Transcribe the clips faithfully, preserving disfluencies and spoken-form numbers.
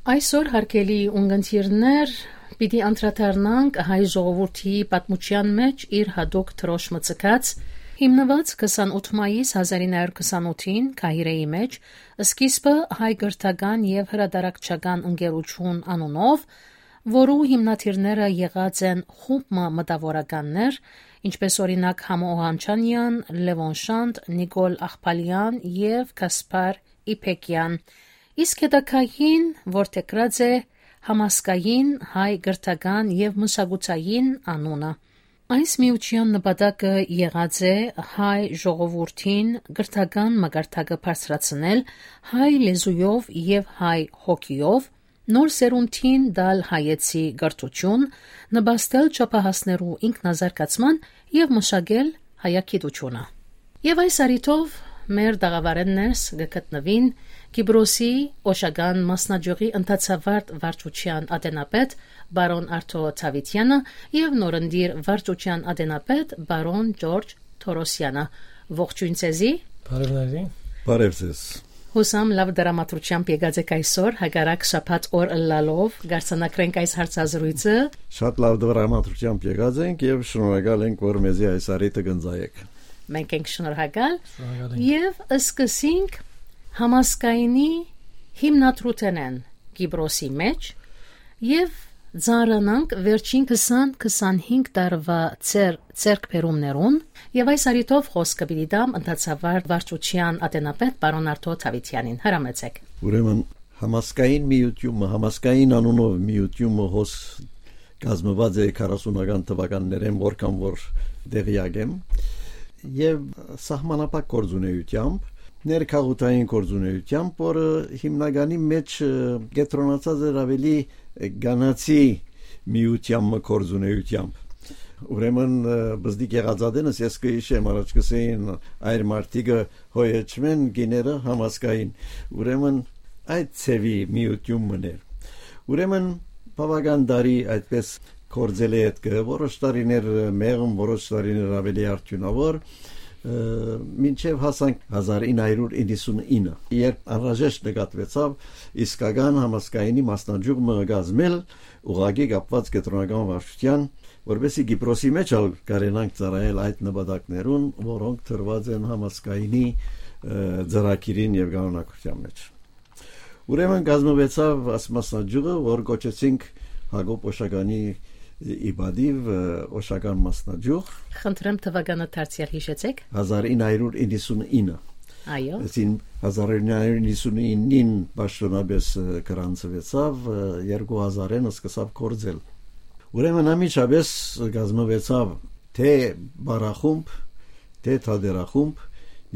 Այսօր, հարգելի ունգընտիրներ, պիտի անդրադառնանք հայ ժողովուրդի պատմութեան մէջ իր յատուկ դրոշմը ձգած, հիմնուած քսանութ մայիս հազար ինը հարիւր քսանութին Կահիրէի մէջ, սկիզբը հայ կրթական եւ հրատարակչական ընկերութիւն անունով, որու հիմնադիրները եղած են խումբ մը մտաւորականներ, ինչպէս օրինակ Համո Օհանչանեան, Լեւոն Շանթ, Նիկոլ Աղբալեան եւ Գասպար Իբեկեան։ Իսկ հետագային որդեգրած է համազգային հայ կրթական եւ մշակութային անունը։ Այս միութեան նպատակը եղած է հայ ժողովուրդին կրթական մակարդակը բարձրացնել հայ լեզուով եւ հայ հոգիով, նոր սերունդին տալ հայեցի կրթութիւն, նպաստել չափահասներու ինքնազարգացման եւ մշակել հայագիտութիւնը։ Եւ այս առիթով մեր տաղաւարէն ներս կը գտնուին Կիպրոսի Օշական մասնաճիւղի ընթացավարտ վարչութեան ատենապետ պարոն Արթո Դաւիթեանը եւ նորընտիր վարչութեան ատենապետ պարոն Ճորճ Թորոսեանը։ Ողջոյն ձեզի։ Բարեւ ձեզի։ Բարեւ ձեզ։ Հուսամ լաւ դրամատրությամբ եկած եք այսօր, հակառակ շաբաթ օր ըլլալով, կարձանագրենք այս հարցազրույցը։ Շատ լաւ դրամատրությամբ եկած ենք եւ շնորհակալ ենք, որ մեզի այս առիթը կ'ընծայեք։ Մենք ենք շնորհակալ։ Շնորհակալ ենք։ Եւ սկսենք համազգայինի հիմնադրութենէն Կիպրոսի մէջ եւ ծանրանանք վերջին քսան քսանհինգ տարուա ձեր ձեռքբերումներուն, եւ այս առիթով խօսքը պիտի տամ ընթացավար վարչութեան ատենապետ պարոն Արթո Դաւիթեանին։ Հրամեցեք։ Ուրեմն, համազգային միութիւնը, համազգային անունով միութիւնը հոս կազմուած է քառասունական թուականներէն, որքան որ տեղեակ եմ, եւ սահմանափակ գործունեությամբ, ներքաղութային գործունեությամբ, որը հիմնականի մէջ, ը, կեդրոնացած էր աւելի կանացի միութեան մը գործունեությամբ։ Ուրեմն, ը, բզդիկ եղած ատենս ես կը յիշեմ, առաջ կ'ըսէին, այր մարդիկը հոյ հեչմեն, կիները համազգային։ Ուրեմն, այդ ձեւի միութիւն մըն էր։ Ուրեմն, բաւական տարի այդպես գործել է ետքը, որոշ տարիներ մեղմ, որոշ տարիներ աւելի արդիւնաւոր, ը, մինչեւ հասանք հազար ինը հարիւր իննսունինը, երբ անհրաժեշտ նկատուեցաւ իսկական համազգայինի մասնաճյուղ մը կազմել, ուղղակի կապուած կեդրոնական վարչութեան, որպեսզի Կիպրոսի մէջ ալ կարենանք ծառայել այդ նպատակներուն, որոնք դրուած են համազգայինի, ը, ծրագիրին եւ կանոնակրթութեան մէջ։ Ուրեմն կազմուեցաւ այս մասնաճյուղը, որ կոչեցինք Յակոբ Օշականի ի պատիւ, ը, Օշական մասնաճյուղ։ Խնդրեմ, թուականը դարձեալ յիշեցեք։ Հազար ինը հարիւր իննսունինը։ Այո։ Այսին հազար ինը հարիւր իննսունինին պաշտօնապէս, ը, գրանցուեցաւ, ը, երկու հազարին սկսաւ գործել։ Ուրեմն անմիջապէս կազմուեցաւ թէ պարախումբ, թէ թատերախումբ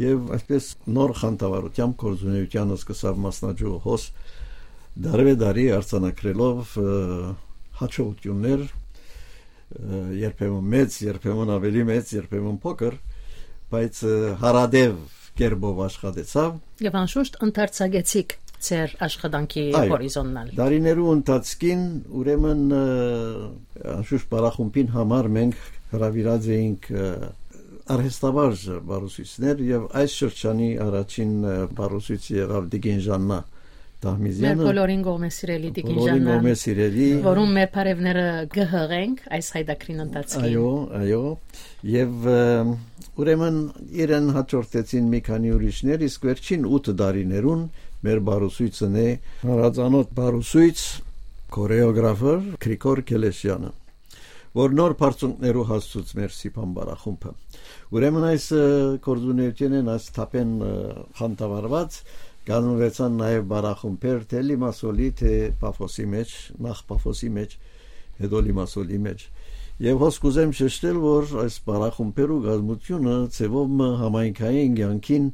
եւ այսպես նոր խանդավառութեամբ գործունեութեանը սկսաւ մասնաճյուղը հոս, դարեւէ տարի արձանագրելով, ը, հաջողութիւններ, ը, երբեմն մեծ, երբեմն աւելի մեծ, երբեմն փոքր, բայց, ը, հարատեւ կերպով աշխատեցաւ։ Եւ անշուշտ ընդարձակեցիք ձեր աշխատանքի Այո, հորիզոնն ալ։ Տարիներու ընթացքին, ուրեմն, ը, անշուշտ պարախումբին համար մենք հրաւիրած էինք, ը, արհեստավարժ բարուսոյցներ եւ այս շրջանի առաջին, ը, բարուսոյցը եղաւ տիկին Ժաննա Դահմիզեանը։ Մեր բոլորին կողմէ սիրելի տիկին Բոլորին Ժաննան, կողմէ սիրելի։ Որուն մեր բարեւները կը հղենք այս հայտակրին ընթացքին։ Այո, այո։ Եւ, ը, ուրեմն իրեն հաջորդեցին մի քանի ուրիշներ, իսկ վերջին ութ տարիներուն մեր բարուսոյցն է հանրածանօթ բարուսոյց, քորեոգրաֆեր Գրիգոր Քելեշյանը, որ նոր բարձունքներու հասցուց մեր Սիփան պարախումբը։ Ուրեմն այս, ը, գործունեութենէն, այս թափէն, ը, խանդավառուած կազմուեցան նաեւ պարախումբեր թէ Լիմասոլի, թէ Պաֆոսի մէջ, նախ Պաֆոսի մէջ, հետո Լիմասոլի մէջ։ Եւ հոս կ'ուզեմ շեշտել, որ այս պարախումբերու կազմութիւնը ձեւով մը համայնքային կեանքին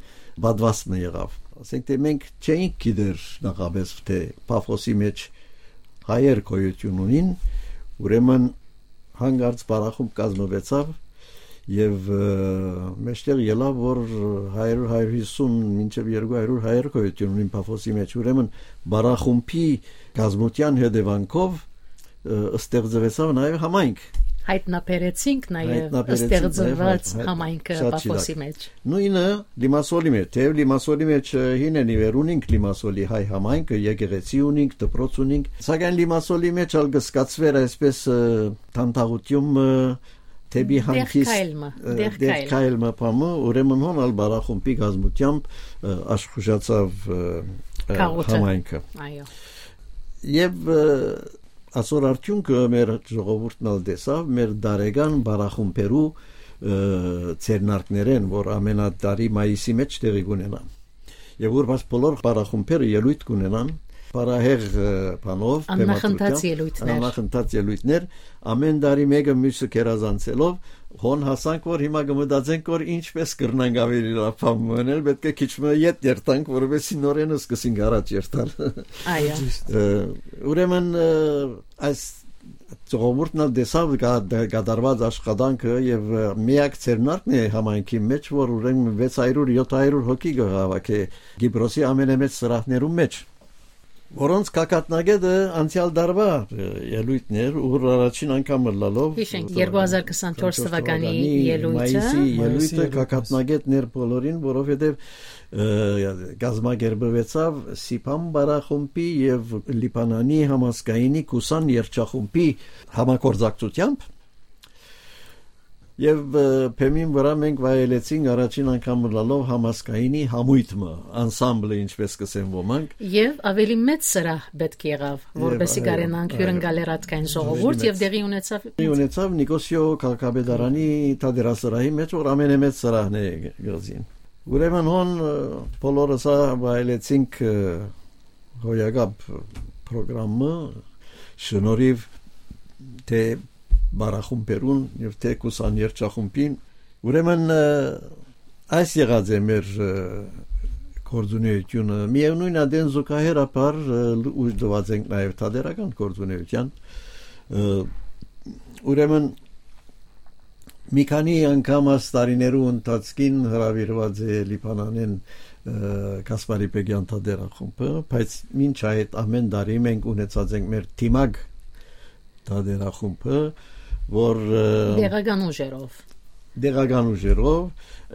պատուաստն եղաւ։ Ասենք թէ մենք չէինք գիտեր նախապէս թէ Պաֆոսի մէջ հայեր գոյութիւն ունին, ուրեմն հանկարծ պարախումբ կազմուեցաւ եւ, ը, մէջտեղ ելաւ, որ հարիւր, հարիւր հիսուն մինչեւ երկու հարիւր հայեր գոյութիւն ունին Պաֆոսի մէջ, ուրեմն պարախումբի կազմութեան հետեւանքով, ը, ստեղծուեցաւ նաեւ համայնք։ Հայտնաբերեցինք նաև Հայտնաբերեցինք ստեղծված նաև հայ-, հայ-, համայնքը շատ Պաֆոսի շիրակ։ Մեջ։ Նոյնը Լիմասոլի մեջ, թեև Լիմասոլի մեջ, ը, հին են ի վեր ունինք Լիմասոլի հայ համայնքը, եկեղեցի ունինք, դպրոց ունինք, սակայն Լիմասոլի մեջ ալ կը սկացվեր այսպես, ը, թանթաղութիւն մը, դեպի Դեղ հանգիստ, քայլ մը, ը, դեղ դեղ քայլ։ Քայլ մը բան մը, ուրեմն հոն ալ Բարախումբի կազմութեամբ, ը, աշխուժացաւ, ը, ը, Քաղաքը։ Համայնքը։ Այո։ Եւ, ը, ասոր արդիւնքը մեր ժողովուրդն ալ տեսաւ, մեր տարեկան Բարախումբերու, ը, ձեռնարկներէն, որ ամենատարի մայիսի մեջ տեղի կունենան։ Եւ որ բաց բոլոր Բարախումբերը ելոյթ կունենան, պարահեղ, ը, բանով, Աննախընթաց բեմադրությամբ, ելոյթներ։ Աննախընթաց ելոյթներ, ամեն տարի մէկը մյուսը գերազանցելով, հոն հասանք, որ հիմա կը մտածենք, որ ինչպես կրնանք ավելի լավ բան մնել, պէտք է քիչ մը ետ երթանք, որովհետեւ նորէն սկսենք առաջ երթալ։ Այո։ Ը, ուրեմն, ը, այս ժողովուրդն ալ տեսաւ կա-, կատարուած աշխատանքը եւ, ը, միակ ձեռնարկն է համայնքի մեջ, որ ուրեմն վեց հարիւր, յոթ հարիւր հոգի կը հաւաքէ Կիպրոսի ամենամեծ սրահներուն մեջ, որոնց գագաթնակետը անցեալ տարուա, ը, ելոյթն էր, ուր առաջին անգամ ըլլալով, Հիշենք, երկու հազար քսանչորս թվականի ելոյթը։ Մայիսի Մայիսի ելոյթը ելոյթը։ Գագաթնակետն էր բոլորին, որովհետեւ, ը, կազմակերպուեցաւ Սիփան Բարախումբի եւ Լիբանանի համազգայինի Կուսան երգչախումբի համագործակցությամբ։ Եւ, ը, բեմին վրայ մենք վայելեցինք առաջին անգամ ըլլալով համազգայինի համոյթ մը, անսամբլը, ինչպես կ'ըսեն ոմանք։ Եւ ավելի մեծ սրահ պէտք եղաւ, Եւ, որպեսզի այո, կարենանք այո։ Հիւրընկալել ատկայն ժողովուրդ, Ավելի եւ մեծ։ Տեղի ունեցաւ Տեղի ունեցաւ Նիկոսիո քաղաքապետարանի թատերասրահի մեջ, որ ամենամեծ սրահն է գազին։ Ուրեմն հոն, ը, բոլորս ա վայելեցինք, ը, հոյակապ պրոգրամը, շնորհիվ թէ Բարախումբերուն եւ թէ Կուսան երգչախումբին։ Ուրեմն, ը, այս եղած է մեր, ը, գործունեությունը։ Միեւնոյն ադեն զուգահեռաբար, ը, լու-, ուժ տուած ենք նաեւ թատերական գործունեության։ Ը, ուրեմն, մի քանի անգամ այս տարիներու ընթացքին հրաւիրուած է Լիբանանէն, ը, Կասպարի Պեգեան թատերախումբը, բայց մինչ այդ ամեն տարի մենք ունեցած ենք մեր դիմակ թատերախումբը, որ, ը, Տեղական ուժերով։ Տեղական ուժերով,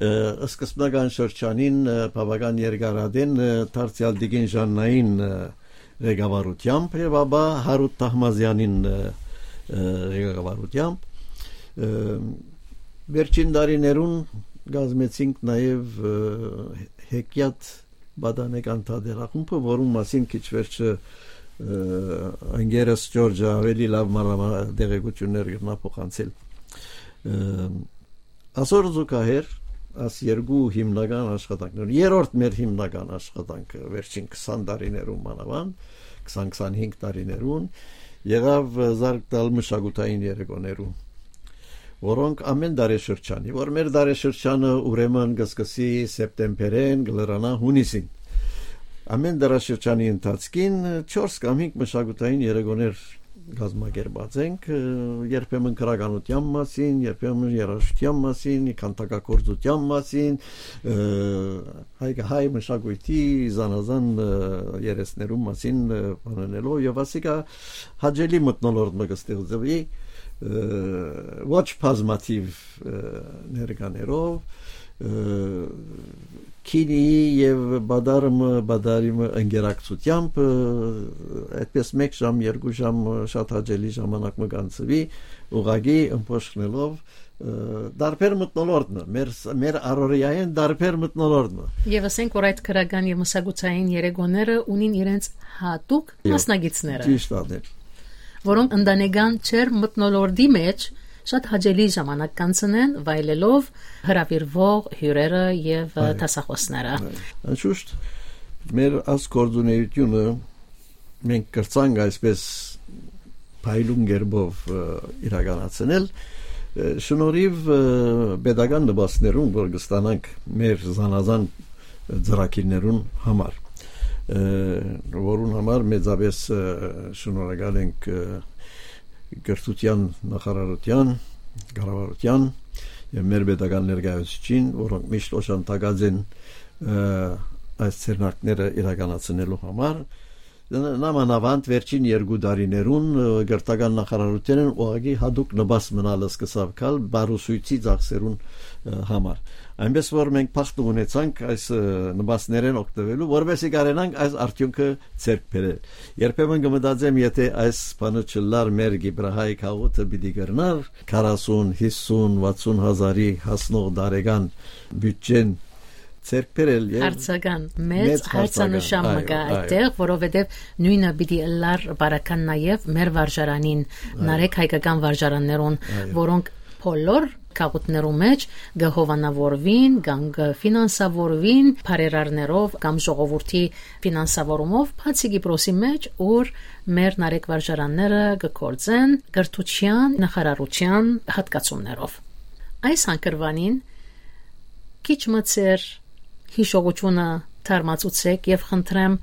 ը, սկզբնական շրջանին, ը, բաւական երկարատեն, ը, դարձեալ Տիկին Ժաննային, ը, ղեկավարությամբ եւ ապա Հարութ Թահմազեանին, ը, ը, ղեկավարությամբ, ը, վերջին տարիներուն կազմեցինք նաեւ, ը, Հեքիաթ պատանեկան թատերախումբը, որուն մասին քիչ վերջը, ը, ընկերս Ջորջը ավելի լավ մանրամա-, տեղեկություններ կրնայ փոխանցել։ Ը, Ասոր զուգահեռ, աս երկու հիմնական աշխատանքներ, երրորդ մեր հիմնական աշխատանքը վերջին քսան տարիներուն մանավանդ, քսան քսանհինգ տարիներուն, եղաւ, ը, զարկ տալ մշակութային երեկոներուն, որոնք ամեն տարեշրջանի, որ մեր տարեշրջանը ուրեմն կը սկսի սեպտեմբերէն, կը լրանայ հունիսին։ Ամեն տարեշրջանի ընթացքին, ը, չորս կամ հինգ մշակութային երեկոներ կազմակերպած ենք, ը, երբեմն գրականության մասին, երբեմն երաժշտության մասին, քանդակագործության մասին, ը, հայ, հայ մշակույթի զանազան, ը, երեսներուն մասին, ը, բանանելով, եւ ասիկա հաճելի մթնոլորտ մը կը ստեղծուի, ը, ոչ բազմաթիվ, ը, ներկաներով, ը, քինիի եւ բադարմը, բադարիմը ընկերակցությամբ, ը, այդպես մեկ ժամ, երկու ժամ, ը, շատ հաճելի ժամանակ մը կանցուի, ուղղակի ըմբոշխնելով, ը, տարբեր մթնոլորտ մը, մեր ս-, մեր առօրեայէն տարբեր մթնոլորտ մը։ Եվ ասենք, որ այդ քրական եւ մշակութային երեկոները ունին իրենց հատուկ Եվ մասնակիցները, ճիշտ անել։ Որոնք ընտանեկան չեր մթնոլորտի մեջ շատ հաճելի ժամանակ կանցնեն, վայելելով հրավիրվող հյուրերը եւ, ը, Այո։ Դասախոսները։ Այո։ Անշուշտ, մեր այս գործունեությունը մենք կրցանք այսպես փայլուն կերպով, ը, իրականացնել, ը, շնորհիվ, ը, պետական նպաստներուն, որ կստանանք մեր զանազան ծրագիրներուն համար, ը, որուն համար մեծապես, ը, շնորհակալ ենք, ը, կրթության նախարարության, կառավարության եւ մեր պետական ներկայացուցիչին, որոնք միշտ օժանդակած են, ը, այս ձեռնարկները իրականացնելու համար։ Ն-, նամանավանդ վերջին երկու տարիներուն, ը, կրթական նախարարութենէն ուղղակի յատուկ նպաստ մնալ սկսաւ գալ բարուսոյցի ծախսերուն, ը, համար։ Այնպէս որ մենք փախտ ունեցանք այս, ը, նպաստներէն օգտվելու, որպեսզի կարենանք այս արդիւնքը ձեռք բերել։ Երբեմն կը մտածեմ, եթե այս բանը չլար, մեր Կիպրահայ գաղութը պիտի կրնար քառասուն, հիսուն, վաթսուն հազարի հասնող տարեկան բիւդճեն ձեռք բերել եւ Հարցական, մեծ մեծ հարցանշան հարցական, մը կայ այո, այո։ Այդտեղ, որովհետեւ նոյնը պիտի ըլլար բարական նաեւ մեր վարժարանին, Այո։ Նարեկ հայկական վարժարաններուն, Այո։ Որոնք բոլոր գաղութներու մէջ կը հովանավորուին կամ կը ֆինանսավորուին բարերարներով կամ ժողովուրդի ֆինանսավորումով, բացի Կիպրոսի մէջ, ուր մեր Նարեկ վարժարանները կը գործեն կրթության նախարարության հատկացումներով։ Այս հանգրուանին քիչ մը ձեր հիշողությունը թարմացուցեք եւ խնդրեմ,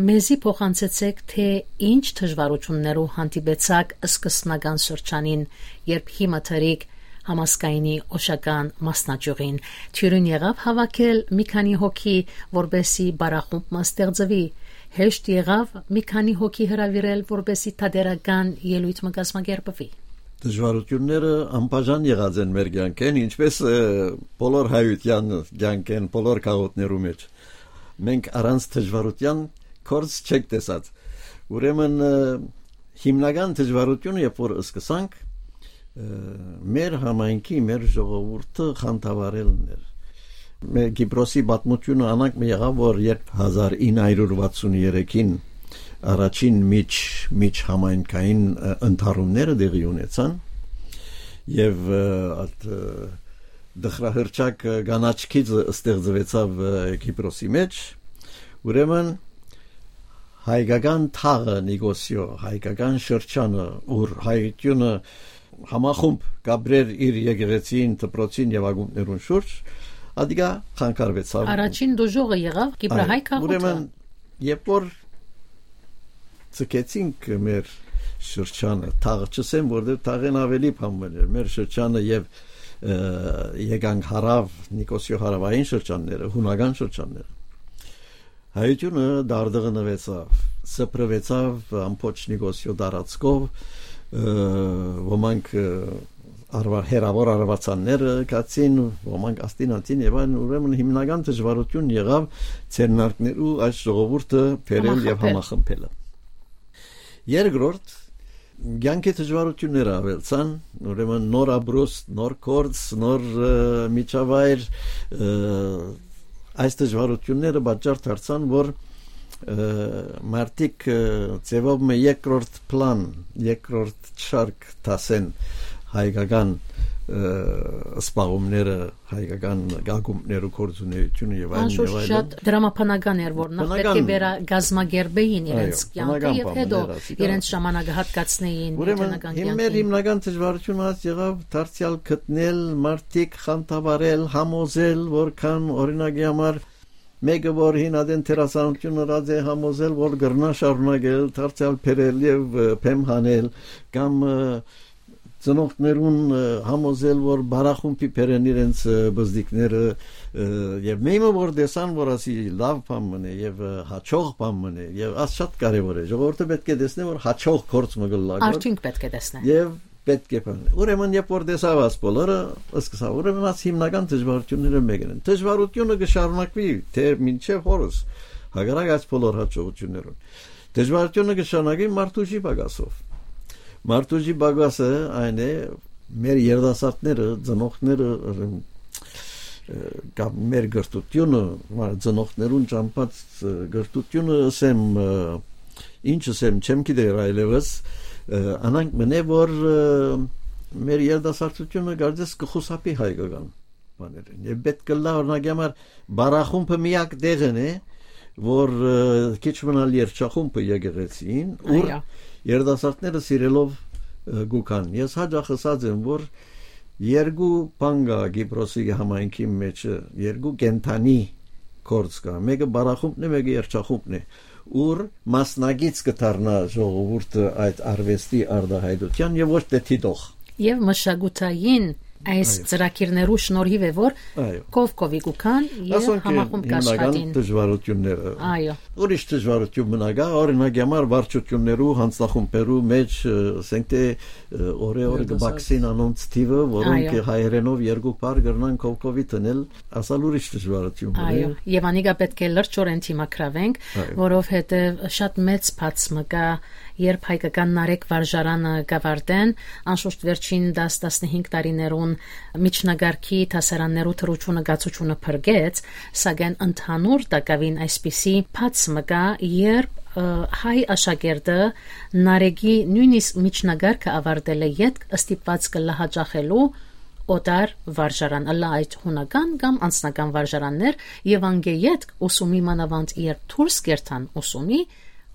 մեզի փոխանցեցեք, թե ինչ դժվարություններու հանդիպեցաք սկզբնական շրջանին, երբ հիմա դրիք համազգայինի օշական մասնաճյուղին։ Թիւրին եղաւ հավաքել մի քանի հոգի, որպեսզի պարախումբ մը ստեղծուի, հեշտ եղաւ մի քանի հոգի հրաւիրել, որպեսզի թատերական ելոյթ մը կազմակերպուի։ Դժվարությունները անբաժան եղած են մեր կյանքէն, ինչպես, ը, բոլոր հայութեան կյանքէն, բոլոր գաղութներու մէջ։ Մենք առանց դժվարութեան գործ չենք տեսած։ Ուրեմն, ը, հիմնական դժվարությունը, երբ որ սկսանք, ը, մեր համայնքի, մեր ժողովուրդը խանդավառելն էր։ Մեր Կիպրոսի պատմությունը անանկ մը եղաւ, որ երբ հազար ինը հարիւր վաթսուն երեքին առաջին միջ-, միջհամայնքային, ը, ընդհարումները տեղի ունեցան, եւ, ը, այդ, ը, դխրահռչակ, ը, կանաչ գիծը ստեղծուեցաւ, ը, Կիպրոսի մէջ, ուրեմն հայկական թաղը Նիկոսիո, հայկական շրջանը, ուր հայությունը համախումբ կապրեր իր եկեղեցին, դպրոցին եւ ակումբներուն շուրջ, ադիկա խանգարվեցաւ։ Առաջին դժոխքը եղաւ Կիպրահայ Այո, գաղութը։ Ուրեմն, երբ որ ձգեցինք մեր շրջանը, թաղը չըսեմ, որտեղ թաղեն ավելի բան մըն էր, մեր շրջանը եւ, ը, եկանք հարաւ, Նիկոսիո հարավային շրջանները, հունական շրջանները։ Հայությունը դարդղնուեցաւ, սփռուեցաւ ամբողջ Նիկոսիո տարածքով, ը, ոմանք, ը, արվա-, հեռաւոր արուածանները գացին, ոմանք աստին ատին եւ այն, ուրեմն հիմնական դժվարություն եղաւ ձեռնարկներու այս ժողովուրդը բերել եւ Համախմբել։ Համախմբելը։ Երկրորդ, կյանքի դժվարությունները ավելցան, ուրեմն նոր ապրուստ, նոր գործ, նոր, ը, միջավայր, ը, այս դժվարությունները պատճառ դարձան, որ, ը, մարդիկ, ը, ձևով մը երկրորդ պլան, երկրորդ շարք դասեն հայկական, ը, սպաղումները, հայկական ակումբներու գործունեությունը եւ այլն եւ Անշուշտ այլն։ Շատ դրամաբանական էր, որ նախ պետք է Բնական։ վերակազմակերպեին իրենց Այո, կյանքը բնական եւ բան հետո էր, ասիկա։ իրենց ժամանակը հատկացնեին Ուրեմն, կենտրոնական հիմ-, մեր կյանքին։ հիմնական դժվարությունը այս եղավ դարձյալ գտնել մարդիկ, խանդավառել, համոզել, որքան, օրինակի համար, մեկը, որ հին ադեն դերասանություն ըրած է, համոզել, որ կրնա շարունակել, դարձյալ բերել եւ, ը, բեմ հանել, կամ, ը, ծնողներուն, ը, համոզել, որ բարախումբի բերեն իրենց, ը, բզդիկները, ը, եւ մեմը, որ տեսան, որ ասի լավ բան մնե եւ, ը, հաճող բան մնե, եւ աս շատ կարեւոր է, ժողովուրդը պետք է տեսնի, որ հաճող գործ մը կլլա, Արդյունք պետք է տեսնի։ Եւ պետք է բան։ Ուրեմն, երբ որ տեսավ աս բոլորը, սկսավ, ուրեմն աս հիմնական դժվարությունները մեկն են։ Դժվարությունը կշարունակվի, թե մինչեւ հորս, հակառակ այս բոլոր հաջողություններուն։ Դժվարությունը կշարունակվի մարդուժի պակասով։ Մարդուժի պակասը այն է, մեր երիտասարդները, ծնողները, ը, կամ մեր կրթությունը, մա-, ծնողներուն ճամբած, ը, կրթությունը, ասեմ, ը, ինչ ասեմ, չեմ գիտեր այլևս, ը, անանկ մնե, որ, ը, մեր երիտասարդությունը կարծես կխուսափի հայկական բաներէն։ Եւ պետք կլա, օրինակի համար, բարախումբը միակ տեղն է, որ, ը, քիչ մնալ երջախումբը եկեղեցին, ուր Այո։ երիտասարդները սիրելով, ը, գուքան։ Ես հաճախ ըսած եմ, որ երկու բան կա Կիպրոսի համայնքի մեջ, երկու կենդանի գործ կա։ Մեկը բարախումբն է, մեկը երջախումբն է, ուր մասնակից կդառնա ժողովուրդը այդ արվեստի արտահայտության եւ ոչ թե դիտող։ Եւ մշակութային Այս Այո։ ծրագիրներու շնորհիվ է, որ Այո։ կով կովի կու գան եւ Ասոնք են համախումբ հիմնական կաշխատին։ դժվարությունները։ Այո։ Ուրիշ դժվարություն մնա գա, օրինակ, համար վարչություններու, հանձնախումբերու մեջ, ը, ասենք թէ, ը, օրը օրը Երիտասարդ։ կբացին անոնց թիվը, որոնք Այո։ հայերենով երկու բառ կրնան կով կովի տնել, ասալ ուրիշ դժվարություն մնա։ Այո, եւ անիկա պէտք է լրջորեն դիմագրավենք, Այո։ որովհետեւ շատ մեծ բաց մը կա, երբ հայկական Նարեկ վարժարանը կավարտեն, անշուշտ վերջին դաս, տասնհինգ տարիներուն միջնակարգի դասարաններու դրութիւնը կացութիւնը փրկեց, սակայն ընդհանուր տակաւին այսպիսի բաց մը կա, երբ, ը, հայ աշակերտը Նարեկի նոյնիսկ միջնակարգը ավարտելէ ետք ստիպուած կը լահաճախելու օտար վարժարան, ըլլայ այդ հունական կամ անձնական վարժարաններ, եւ անկէ ետք ուսումի մանաւանդ երբ դուրս կերթան ուսումի,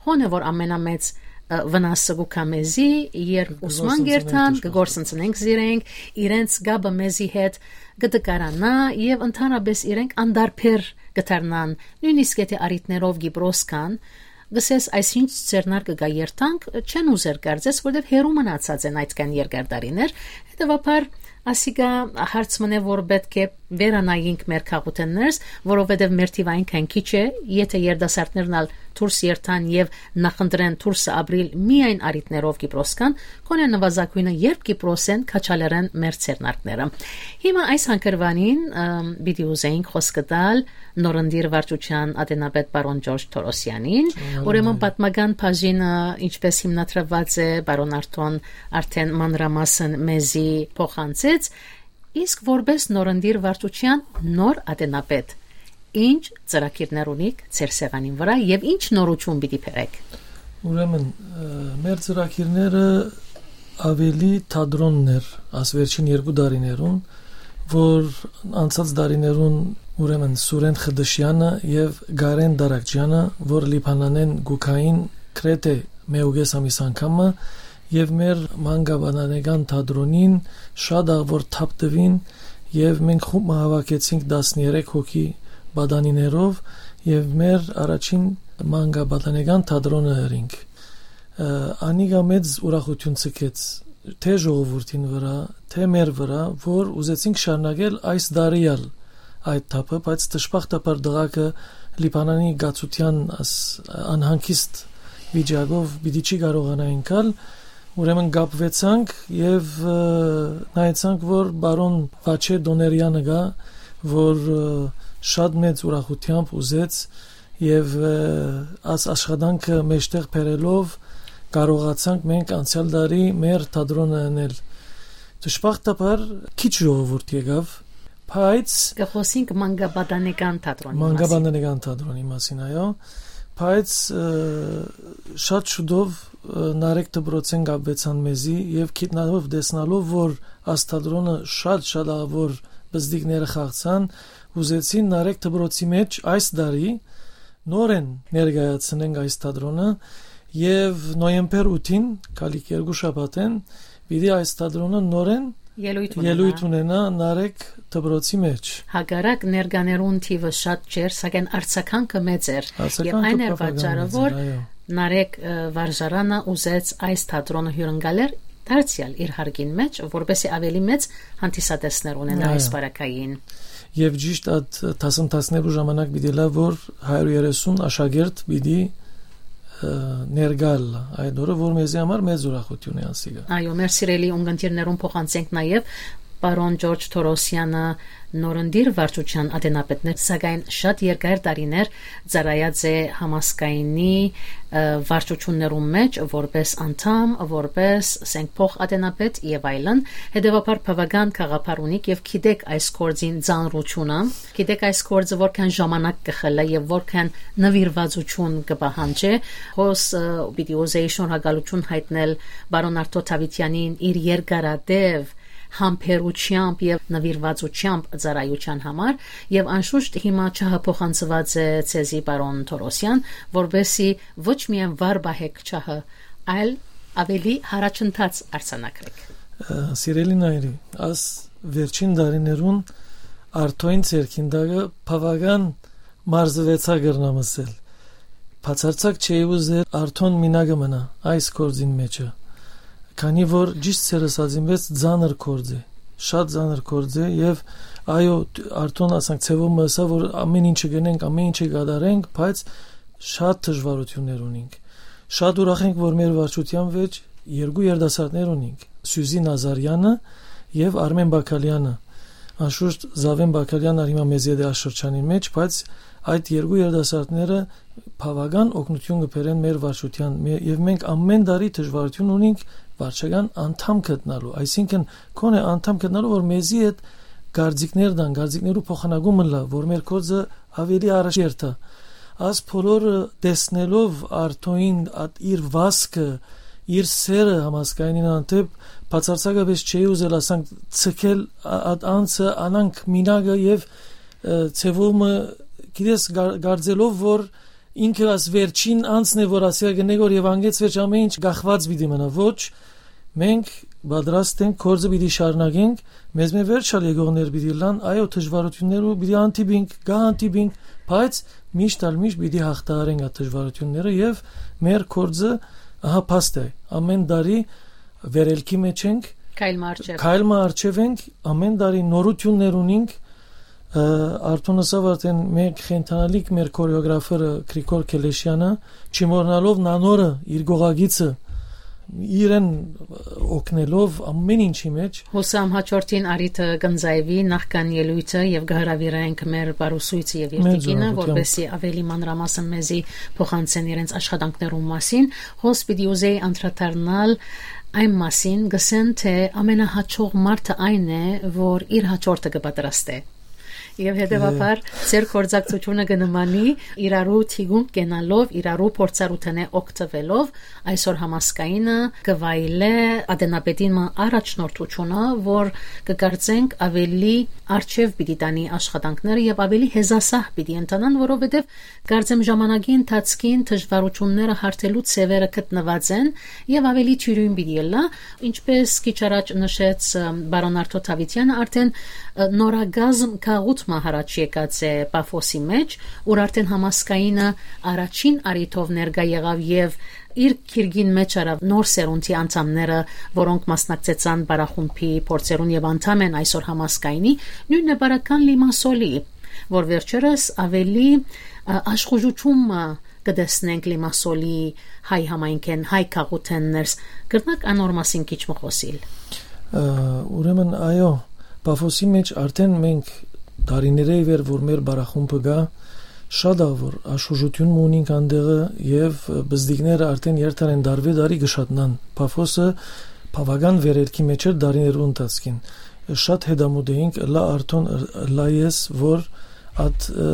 հոն է որ ամենամեծ, ը, վնասը կու գայ մեզի, երբ Կը ուսման կերթան, կը գործընծնենք կը գործընծնենք զիրենք, իրենց կապը մեզի հետ կը տկարանայ եւ ընդհանրապէս իրենք անդարբեր կը դառնան, նոյնիսկ եթէ առիթներով Կիպրոս կան, գսես այսինչ ձեռնարկը կայ երթանք, չեն ուզեր կարծես, որտեւ հեռու մնացած են այդքան երկար տարիներ, հետեւաբար ասիկա հարց մնե, որ պէտք է վերանայինք մեր քաղաքութեններս, որովհետեւ մեր թիվային քան քիչ է, եթէ երիտասարդներն ալ դուրս երթան եւ նախընտրեն դուրսը ապրիլ միայն առիթներով Կիպրոս կան, գոնե նվազագոյնը երբ Կիպրոս են քաչալերեն մեր ձեռնարկները։ Հիմա այս հանգրուանին, ըմ, պիտի ուզեինք խոսքը տալ նորընտիր վարչության ատենապետ պարոն Ջորջ Թորոսյանին։ Ուրեմն պատմական բաժինը, ինչպես հիմնադրված է, պարոն Արթոն արդեն մանրամասն մեզի փոխանցեց, իսկ որպես նորընտիր վարչության նոր ատենապետ, ինչ ծրագիրներ ունիք ձեր սեղանին վրա եւ ինչ նորություն պիտի բերեք։ Ուրեմն, ը, մեր ծրագիրները ավելի թատրոններ, աս վերջին երկու տարիներուն, որ անցած տարիներուն, ուրեմն, Սուրեն Խդշյանը եւ Գարեն Դարակճյանը, որ Լիբանանեն գուքային գրեթէ մէուկես ամիս անգամը, եւ մեր մանկապատանեկան թատրոնին շատ աղ որ թափ տուին, եւ մենք խումբ մը հավաքեցինք տասներեք հոգի պատանիներով, եւ մեր առաջին մանկապատանեկան թատրոնը ըրինք։ Ը, անիկա մեծ ուրախություն ցկեց թէ ժողովուրդին վրա, թէ մեր վրա, որ ուզեցինք շարունակել այս տարի ալ այդ թափը, բայց դժբախտաբար դղակը Լիբանանի կացության աս անհանգիստ վիճակով պիտի չի կարողանայինք ալ, ուրեմն կապվեցանք եւ, ը, նայեցանք, որ պարոն Վաչե Դոներյանը գայ, որ, ը, շատ մեծ ուրախութեամբ ուզեց եւ, ը, աս աշխատանքը մեջտեղ բերելով կարողացանք մենք անցյալ տարի մեր թատրոնը ընել։ Դժբախտաբար քիչ ժողովուրդ եկաւ, բայց Կը խոսինք մանկապատանեկան թատրոնի մասին։ Մանկապատանեկան թատրոնի մասին, այո, բայց, ը, շատ շուտով, ը, Նարեկ դպրոցեն կապվեցան մեզի եւ գիտնալով, տեսնալով, որ աս թատրոնը շատ, շատ աղ որ բզդիկները խաղցան, ուզեցին Նարեկ դպրոցի մեջ այս տարի նորեն ներկայացնենք այս թատրոնը եւ նոյեմբեր ութին, գալիք երկու շաբաթեն, պիտի այս թատրոնը նորեն Ելոյթ ունենայ։ ելոյթ ունենայ Նարեկ դպրոցի մեջ։ Հակառակ ներկաներուն թիվը շատ չէր, սակայն արձագանքը մեծ էր։ Արձագանքը Եւ այն էր բավական պատճառը, մեծ էր, որ այո։ Նարեկ, ը, վարժարանը ուզեց այս թատրոնը հիւրընկալել դարձեալ իր հարկին մեջ, որպեսզի ավելի մեծ հանդիսատեսներ ունենա Այո։ այս պարագային։ Եվ ճիշտ այդ դասընթացներու ժամանակ պիտի լա, որ հարիւր երեսուն աշակերտ պիտի, ը, ներկալ այդ օրը, որ մեզի համար մեծ ուրախություն է անսիկա։ Այո, մեր սիրելի ունգընտիրներուն փոխանցենք նաև պարոն Ջորջ Թորոսյանը նորընտիր վարչության ատենապետներ, սակայն շատ երկար տարիներ ծառայած է համազգայինի, ը, վարչություններուն մեջ որպես անդամ, որպես, ասենք, փոխ ատենապետ և այլն։ Հետևաբար բավական գաղափար ունիք և գիտեք այս գործին ծանրությունը, գիտեք այս գործը որքան ժամանակ կը խլի և որքան նվիրվածություն կը պահանջի։ Հոս, ը, պիտի ուզեի շնորհակալություն հայտնել պարոն Արթուր Դավիթյանին իր երկարատև համբերությամբ և նվիրվածությամբ ծառայության համար, և անշուշտ հիմա ջահը փոխանցված է ձեզի, պարոն Թորոսյան, որպեսզի ոչ միայն վառ պահեք ջահը, այլ ավելի յառաջընթաց արձանագրեք։ Ը, սիրելի Նայիրի, աս վերջին տարիներուն Արթոյին ձեռքին տակը բավական մարզվեցայ, կրնամ ըսել։ Բացարձակ չէի ուզեր Արթոն մինակը մնայ այս գործին մեջը, քանի որ ճիշդ ձեր ըսածին պէս ծանր գործ է։ շատ ծանր գործ է, եւ այո, դ-, Արթուն, ասենք, ձեւով մը ըսաւ, որ ամեն ինչը գնենք, ամեն ինչը կատարենք, բայց շատ դժվարութիւններ ունենք։ Շատ ուրախ ենք, որ մեր վարչության վեճ երկու երիտասարդներ ունենք, Սյուզի Նազարյանը եւ Արմեն Բակալյանը։ Անշուշտ Զաւեն Բակալյանը հիմա մեզի հետ է այս շրջանին մեջ, բայց այդ երկու երիտասարդները բաւական օգնութիւն կը բերեն մեր վարչության, մե-, եւ մենք ամեն տարի դժվարութիւն ունենք վարչական անդամ գտնալու, այսինքն, քոնէ անդամ գտնալու, որ մեզի հետ կարծիքներ տան, կարծիքներու փոխանակում ըլլայ, որ մեր գործը ավելի առաջ երթայ։ Աս բոլորը տեսնելով Արթոյին, ատ-, իր վազքը, իր սերը համազգայինին հանդեպ, բացարձակապէս չէի ուզել, ասենք, ցկել ա-, այդ անձը, անանք մինակը եւ, ը, ձևով մը, գիտես, գար-, գարձելով, որ ինքը աս վերջին անձն է, որ ասիա կնե, որ եւ անգեց վերջ ամեն ինչ կախված պիտի մնա։ Ոչ, մենք պատրաստ ենք, գործը պիտի շարունակենք, մեզ մէ վերջ ալ եկողներ պիտի լան, այո, դժվարութիւններու պիտի հանդիպինք, կը հանդիպինք, բայց միշտ ալ միշտ պիտի հաղթահարենք այդ դժվարութիւնները եւ մեր գործը ահա փաստ է։ Ամեն տարի վերելքի մեջ ենք, քայլ մը առջեւ։ Քայլ մը առջեւ ենք, ամեն տարի նորութիւններ ունենք, ը, Արթուն ըսաւ արդեն, մենք խենթանալիք մեր քորեոգրաֆերը Գրիգոր Քելեշյանը, չմոռնալով նանորը, իր գողագիցը, իրեն օգնելով ամեն ինչի մեջ։ Հուսամ հաջորդին առիթը կ'ընծայուի նախքան ելոյթը եւ կը հրաւիրենք մեր բարուսոյցը եւ Մեր երկինը, ժողովուրդ, որպեսզի ավելի մանրամասն մեզի փոխանցեն իրենց աշխատանքներուն մասին։ Հոս պիտի ուզեի անդրադառնալ այն մասին, գսեն թէ ամենահաջող մարդը այն է, որ իր հաջորդը կը պատրաստէ։ Եւ հետեւաբար ձեր գործակցությունը կը նմանի իրարու թիկունք կենալով, իրարու փորձառութենէ օգտվելով, այսօր համազգայինը կը վայելէ ատենապետին մը առաջնորդությունը, որ կը կարծենք ավելի արջեւ պիտի տանի աշխատանքները եւ ավելի հեզասահ պիտի ընթանան, որովհետեւ կարծեմ ժամանակի ընթացքին դժվարութիւնները հարթելու ձեւերը գտնուած են եւ ավելի թիւրին պիտի ըլլայ, ինչպես քիչ առաջ նշեց, ը, պարոն Արթո Դաւիթյանը, արդեն, ը, նորագազմ գաղութ մը յառաջ եկած է Պաֆոսի մեջ, ուր արդեն համազգայինը առաջին առիթով ներկայ եղաւ եւ իր գիրկին մեջ առաւ նոր սերունդի անդամները, որոնք մասնակցեցան պարախումբի փորձերուն եւ անդամ են այսօր համազգայինի, նոյնն է պարական Լիմասոլի, որ վերջերս ավելի, ը, աշխուժութիւն մը կը տեսնենք Լիմասոլի հայ համայնքէն, հայ գաղութէն ներս։ Կրնա՞ք անոր մասին քիչ մը խօսիլ։ Ը, ուրեմն, այո, Պաֆոսի մեջ արդեն մենք տարիներէ ի վեր, որ մեր պարախումբը կայ, շատ ա, որ աշխուժութիւն մը ունինք անտեղը եւ, ը, պզտիկները արդեն երթար են, տարուէ տարի կը շատնան։ Պաֆոսը բաւական վերելքի մեջ էր տարիներու ընթացքին։ Շատ հետամուտ էինք, ըլլայ Արթուն, ը, ըլլայ ես, որ այդ, ը,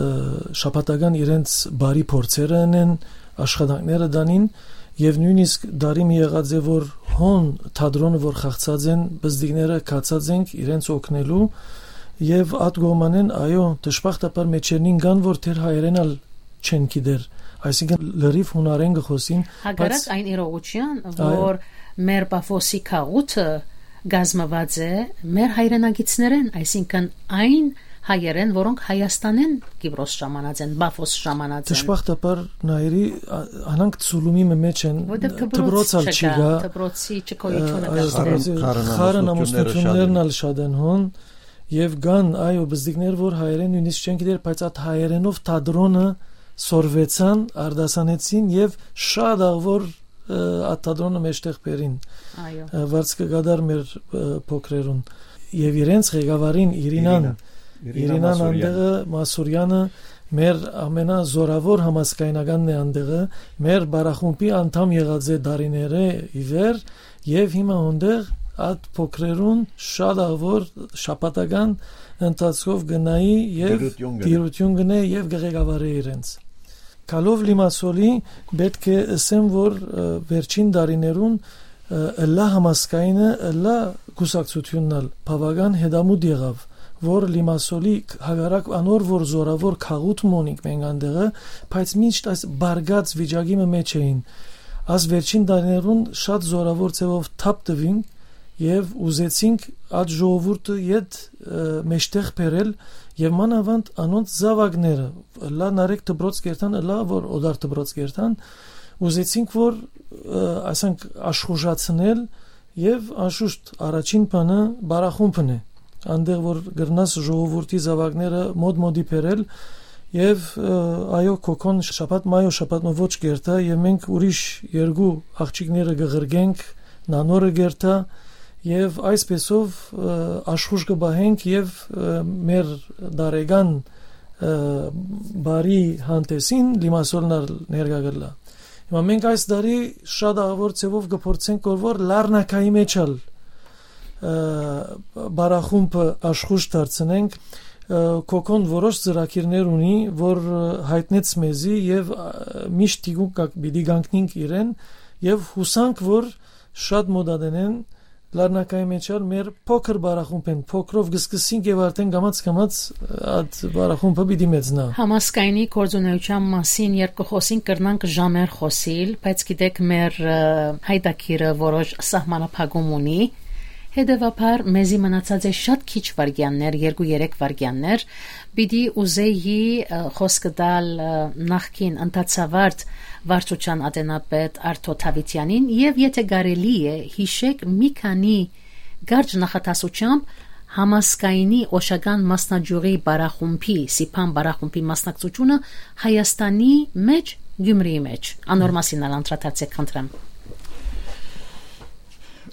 շաբաթական իրենց բարի փորձերը ընեն, աշխատանքները տանին, եւ նոյնիսկ տարի մը եղած է, որ հոն թատրոնը, որ խաղցած են, պզտիկները գացած ենք իրենց օգնելու, եւ այդ կողմանէն, այո, դժբախտաբար մեջերնին կան, որ թեր հայերեն ալ չեն գիտեր, այսինքն լրիվ յունարեն կը խօսին, բայց Հակառակ այն իրողութեան, այո, որ մեր Պաֆոսի գաղութը կազմված է մեր հայրենակիցներէն, այսինքն այն հայերէն, որոնք Հայաստանէն Կիպրոս ժամանած են, Պաֆոս ժամանած են։ Դժբախտաբար, Նայիրի, ա-, անանք ցուլումի մը մեջ են, որտեղ դպրոց դպրոց ալ չի չկա, գայ, դպրոցի չկայությունը ը, կա այո, դեռ։ Դպրոցի խարն խարն ամուսնությունները շատ ամուսնություններն են։ Ալ շատ են հոն, եւ կան, այո, պզտիկներ, որ հայերեն նոյնիսկ չեն գիտեր, բայց այդ հայերենով թատրոնը սորվեցան, արտասանեցին եւ շատ աղ որ, ը, այդ թատրոնը մեջտեղ բերին, Այո։ ը, վարձ կը կատար մեր, ը, փոքրերուն։ Եւ իրենց ղեկավարին Իրինան, Իրինա, Իրինա Իրինան Մասուրյան։ Անտեղը, Մասուրյանը մեր ամենազորավոր համազգայնականն է անտեղը, մեր պարախումբի անդամ եղած է տարիներէ ի վեր, եւ հիմա հոնդեղ այդ փոքրերուն շատ աղ որ շաբաթական ընթացքով գնայի եւ Դիրություն գնե։ Դիրություն գնե եւ կղեկավարե իրենց։ Գալով Լիմասոլի, պէտք է ըսեմ, որ, ը, վերջին տարիներուն, ը, ըլլայ համազգայինը, ըլլայ կուսակցութիւնն ալ բաւական հետամուտ եղաւ, որ Լիմասոլի, հակառակ անոր, որ զորավոր քաղուտ մը ունինք մենք անտեղը, բայց միշտ այս բարգած վիճակի մը մեջ էին։ Այս վերջին տարիներուն շատ զորավոր ձևով թափ տվինք եւ ուզեցինք այդ ժողովուրդը յետ, ը, մեջտեղ բերել եւ մանավանդ անոնց զաւակները, ըլլայ Նարեկ դպրոց կերթան, ըլլայ որ Օդար դպրոց կերթան, ուզեցինք, որ, ը, ասենք, աշխուժացնել, եւ անշուշտ առաջին բանը պարախումբն է, անտեղ որ կրնաս ժողովուրդի զաւակները մոտ մոտի բերել, եւ, ը, այո, Քոքոն շաբաթ, մայ օր շաբաթ մը ոչ կերթայ, եւ մենք ուրիշ երկու աղջիկները կը ղրկենք, Նանորը կերթայ, եւ այսպեսով, ը, աշխուժ կը պահենք եւ, ը, մեր դարեկան, ը, բարի հանդեսին Լիմասոլն ալ ներկայ կ'ըլլայ։ Հիմա մենք այս տարի շատ աղաւոր ձեւով կը փորձենք որ, որ Լառնակայի մեջ ալ, ը, բարախումբը աշխուժ դարձնենք։ Ը, Քոքոն որոշ ծրագիրներ ունի, որ, ը, յայտնեց մեզի եւ, ը, միշտ թիկունք կա-, պիտի կանգնենք իրեն եւ յուսանք որ շատ մօտ ատենեն Լառնակայի մեջ ալ մեր փոքր բարախումբեն, փոքրով կը սկսենք եւ արդեն կամաց-կամաց, ը, այդ բարախումբը պիտի մեծնայ։ Համազգայինի գործունեության մասին երբ կը խօսենք, կրնանք ժամեր խօսիլ, բայց գիտեք, մեր, ը, յայտագիրը որոշ սահմանափակում ունի։ Հետեւաբար, մեզի մնացած է շատ քիչ վայրկեաններ, երկու-երեք վայրկեաններ։ Պիտի ուզեի, ը, խօսքը տալ, ը, նախկին ընդհանրավարտ վարչության ատենապետ Արթո Դավիթեանին եւ, եթե կարելի է, յիշեք մի քանի կարճ նախադասությամբ Համազգայինի օշական մասնաճյուղի բարախումբի, Սիփան բարախումբի մասնակցությունը Հայաստանի մեջ, Գյումրիի մեջ։ Անոր մասին ալ անդրադարձեք, խնդրեմ։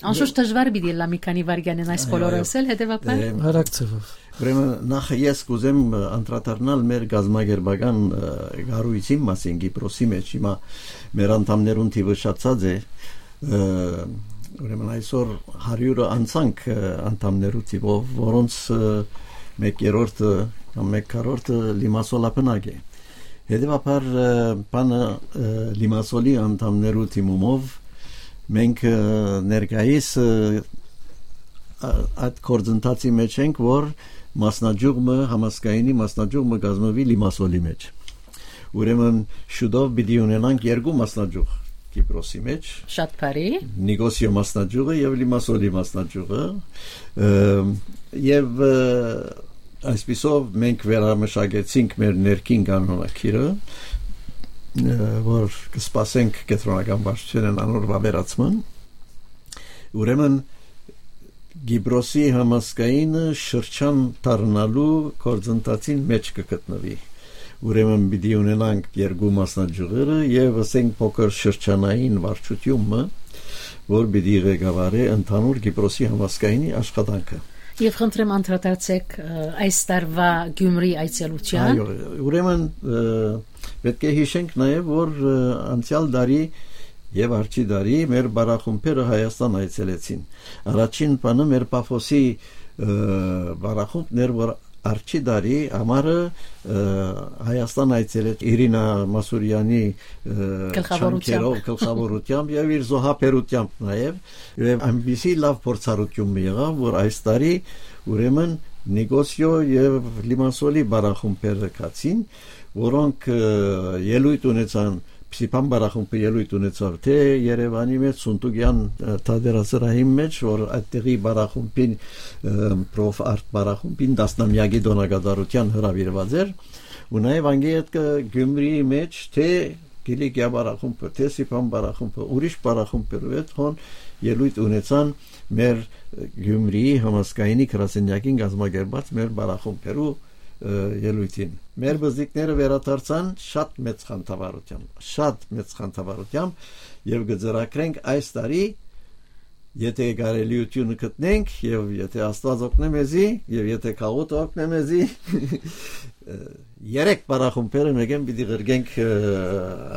Անշուշտ դժվար պիտի ըլլայ մի քանի վայրկեանին այս Այո, բոլորը այո։ Ասել, հետեւաբար։ Դե, Արագ ձևով։ Ուրեմն, նախ ես կուզեմ, ը, անդրադառնալ մեր կազմակերպական, ը, կառույցին մասին Կիպրոսի մեջ։ Հիմա մեր անդամներուն թիվը շատացած է, ը, ուրեմն այսօր հարիւրը անցանք, ը, անդամներու թիվով, որոնց, ը, մեկերորդը կամ մեկքառորդը լիմասոլաբնակ է։ Հետեւաբար, ը, բանը, ը, լիմասոլի անդամներու թիմումով մենք, ը, ներկայիս, ը, ա-, այդ գործընթացի մեջ ենք, որ մասնաճյուղ մը, Համազգայինի մասնաճյուղ մը կազմուի լիմասոլի մեջ։ Ուրեմն շուտով պիտի ունենանք երկու մասնաճյուղ Կիպրոսի մեջ։ Շատ բարի։ Նիկոսիո մասնաճյուղը եւ լիմասոլի մասնաճյուղը, ը, եւ, ը, այսպիսով մենք վերամշակեցինք մեր ներքին կանոնակիրը, ը, որ կսպասենք կեդրոնական վարչութենէն անոր վաւերացման։ Ուրեմն Կիպրոսի Համազգայինը շրջան դառնալու գործընթացին մեջ կը գտնուի։ Ուրեմն պիտի ունենանք երկու մասնաճյուղերը եւ, ասենք, փոքր շրջանային վարչութիւն մը, որ պիտի ղեկավարէ ընդհանուր Կիպրոսի Համազգայինի աշխատանքը։ Եւ խնդրեմ անդրադարձեք, ը, այս տարուա Գյումրի այցելության։ Այո, ուրեմն, ը, պետք է յիշենք նաեւ, որ, ը, անցեալ տարի եւ արջի տարի մեր բարախումբերը Հայաստան այցելեցին։ Առաջին բանը մեր Պաֆոսի, ը, բարախումբն էր, որ արջի տարի ամառը, ը, Հայաստան այցելեց Իրինա Մասուրյանի, ը, Գլխավորությամբ։ Չանքերով, գլխավորությամբ եւ իր զոհաբերությամբ նաեւ, եւ այնպիսի լաւ փորձառութիւն մը եղաւ, որ այս տարի ուրեմն Նիկոսիո եւ Լիմասոլի բարախումբերը գացին, որոնք, ը, ելոյթ ունեցան, Սիփան բարախումբը ելոյթ ունեցաւ թէ Երեւանի մեջ, Սունտուկեան, ը, թատերասրահին մեջ, որ այդտեղի բարախումբին, ը, պրոֆ արտ բարախումբին տասնամեակի տօնակատարութեան հրաւիրուած էր, ու նաեւ անգէ ետքը Գյումրիի մեջ թէ Կիլիկիա բարախումբը, թէ Սիփան բարախումբը, ուրիշ բարախումբերու հետ հոն ելոյթ ունեցան մեր, ը, Գյումրիի Համազգայինի գրասենյակին կազմակերպած մեր բարախումբերու, ը, ելոյթին։ Մեր բզիկները վերադարձան շատ մեծ խանդավառությամբ, շատ մեծ խանդավառությամբ, եւ կը ծրագրենք այս տարի, եթե կարելիությունը գտնենք, եւ եթե Աստուած օգնէ մեզի, եւ եթե գաղութը օգնէ մեզի, ը, երեք բարախումբերը մեկեն պիտի ղրկենք, ը,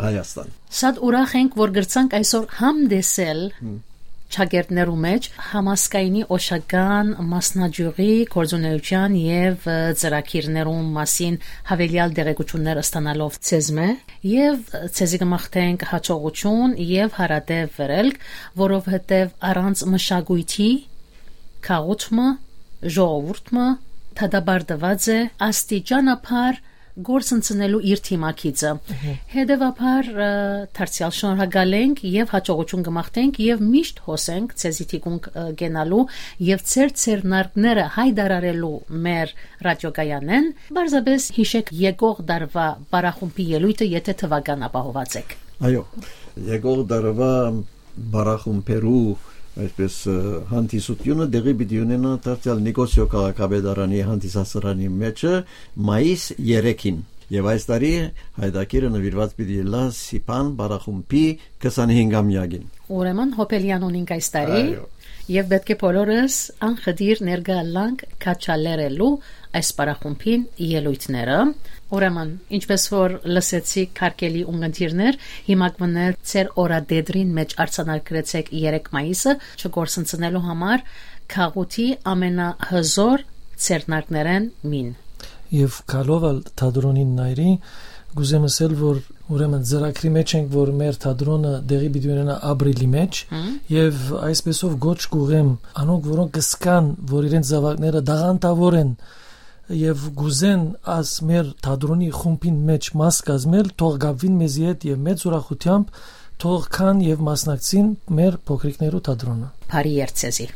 Հայաստան։ Շատ ուրախ ենք, որ կրցանք այսօր համտեսել Հմ։ Չակերտներու մեջ Համազգայինի օշական մասնաճյուղի գործունեության եւ, ը, ծրագիրներուն մասին յաւելեալ տեղեկություններ ստանալով ձեզմէ, եւ, ը, ձեզի կը մաղթենք յաջողություն եւ հարատեւ վերելք, որովհետեւ առանց մշակոյթի գաղութ մը, ժողովուրդ մը դատապարտուած է աստիճանաբար գործընծնելու իր թիմակիցը։ Մհմ։ Հետեւաբար, ը, դարձեալ շնորհակալ ենք եւ յաջողություն կը մաղթենք եւ միշտ հոսենք ձեզի թիկունք, ը, կենալու եւ ձեր ձեռնարկները յայտարարելու մեր ռադիոկայանէն։ Պարզապէս յիշեք եկող տարուա բարախումբի ելոյթը, եթե թուական ապահոված եք։ Այո, եկող տարուա բարախումբերու, Այսպես, ը, հանդիսությունը տեղի պիտի ունենայ դարձեալ Նիկոսիո քաղաքապետարանի հանդիսասրահի մէջը մայիս երեքին։ Եւ այս տարի Հայտագիրը նուիրուած պիտի ըլլայ Սիփան պարախումբի քսանհինգամեակին։ Ուրեմն Հոբելեան ունինք այս տարի։ Այո։ Եւ պէտք է բոլորս անխտիր ներկայ ըլլանք քաջալերելու այս պարախումբին ելոյթները։ Ուրեմն, ինչպես որ լսեցիք, հարգելի ունգընտիրներ, հիմա կմնա ձեր օրատետրին մէջ արձանագրեցէք երեք մայիսը չկորսնցնելու համար գաղութի ամենահզոր ձեռնարկներէն մին։ Եւ գալով ալ թատրոնին նայրի, կ'ուզեմ ըսել, որ ուրեմն ծրագրի մէջ ենք, որ մեր թատրոնը տեղի պիտի ունենայ ապրիլի մէջ, Հմ։ Եւ այսպեսով կոչ կ'ուղղեմ անոնք, որոնք կ'զգան, որ իրենց զաւակները տաղանդաւոր են եւ կ'ուզեն աս մեր թատրոնի խումբին մէջ մաս կազմել, թող կապուին մեզի հետ եւ մեծ ուրախութեամբ թող գան եւ մասնակցին մեր փոքրիկներու թատրոնը։ Բարի երթ ձեզի։